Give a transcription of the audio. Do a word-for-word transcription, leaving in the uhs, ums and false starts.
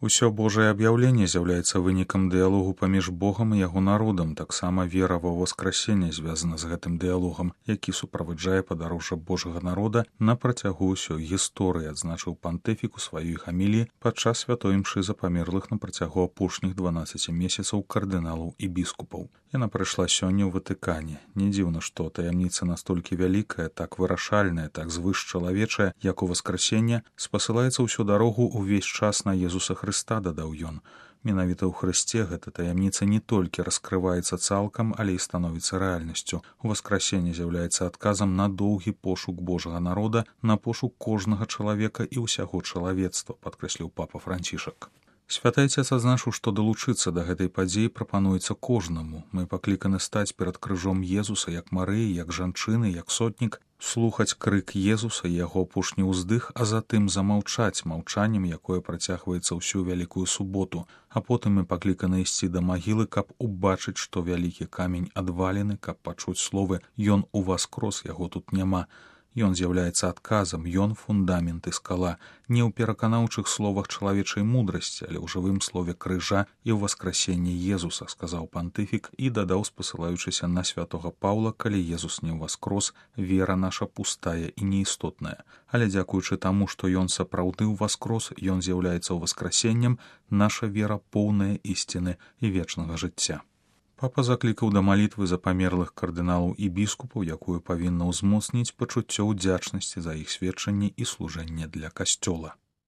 Усё Божае аб'яўленне з'яўляецца вынікам дыялогу паміж Богам і яго народам. Таксама вера ва ўваскрасенне звязана з гэтым дыялогам, які суправаджае падарожжа Божага народа на працягу ўсёй гісторыі, адзначыў пантыфік у сваёй гаміліі падчас святой імшы за памерлых на працягу апошніх дванаццаці месяцаў кардыналаў і біскупаў. Яна прайшла сёння ў Ватыкане. Не дзіўна, што таямніца настолькі вялікая, так вырашальная, так звышчалавечая, як у васкрасенне, спасылаецца ўсю дарогу ўвесь час на Езуса Хрыста, дадаў ён. Менавіта ў Хрысце гэта таямніца не толькі раскрываецца цалкам, але і становіцца рэальнасцю. Уваскрасенне з'яўляецца адказам на доўгі пошук Божага народа, на пошук кожнага чалавека і ўсяго чалавецтва, падкрэсліў папа Францішак. Святы Отец адзначыў, што далучыцца да гэтай падзеі прапануецца кожнаму. Мы пакліканы стаць перад крыжом Езуса, як Марыі, як жанчыны, як сотнік, слухаць крык Езуса і яго апошні ўздых, а затым замаўчаць маўчаннем, якое працягваецца ўсю вялікую суботу. А потым мы пакліканы ісці да магілы, каб убачыць, што вялікі камень адвалены, каб пачуць словы «Ён уваскрос, яго тут няма». Ён з'яўляецца адказам, ён фундамент і скала, не ў пераканаўчых словах чалавечай мудрасці, але ў жывым слове крыжа і ў васкрасенні Езуса, сказаў пантыфік і дадаў, спасылаючыся на святога Паўла, калі Езус не ўваскрос, вера наша пустая і неістотная. Але дзякуючы таму, што ён сапраўды ўваскрос, ён з'яўляецца ўваскрасеннем, наша вера поўная ісціны і вечнага жыцця. Папа заклікаў да малітвы за памерлых кардыналаў і біскупаў, якую павінна ўзмоцніць пачуццё ўдзячнасці за іх сведчанне і служэнне для касцёла.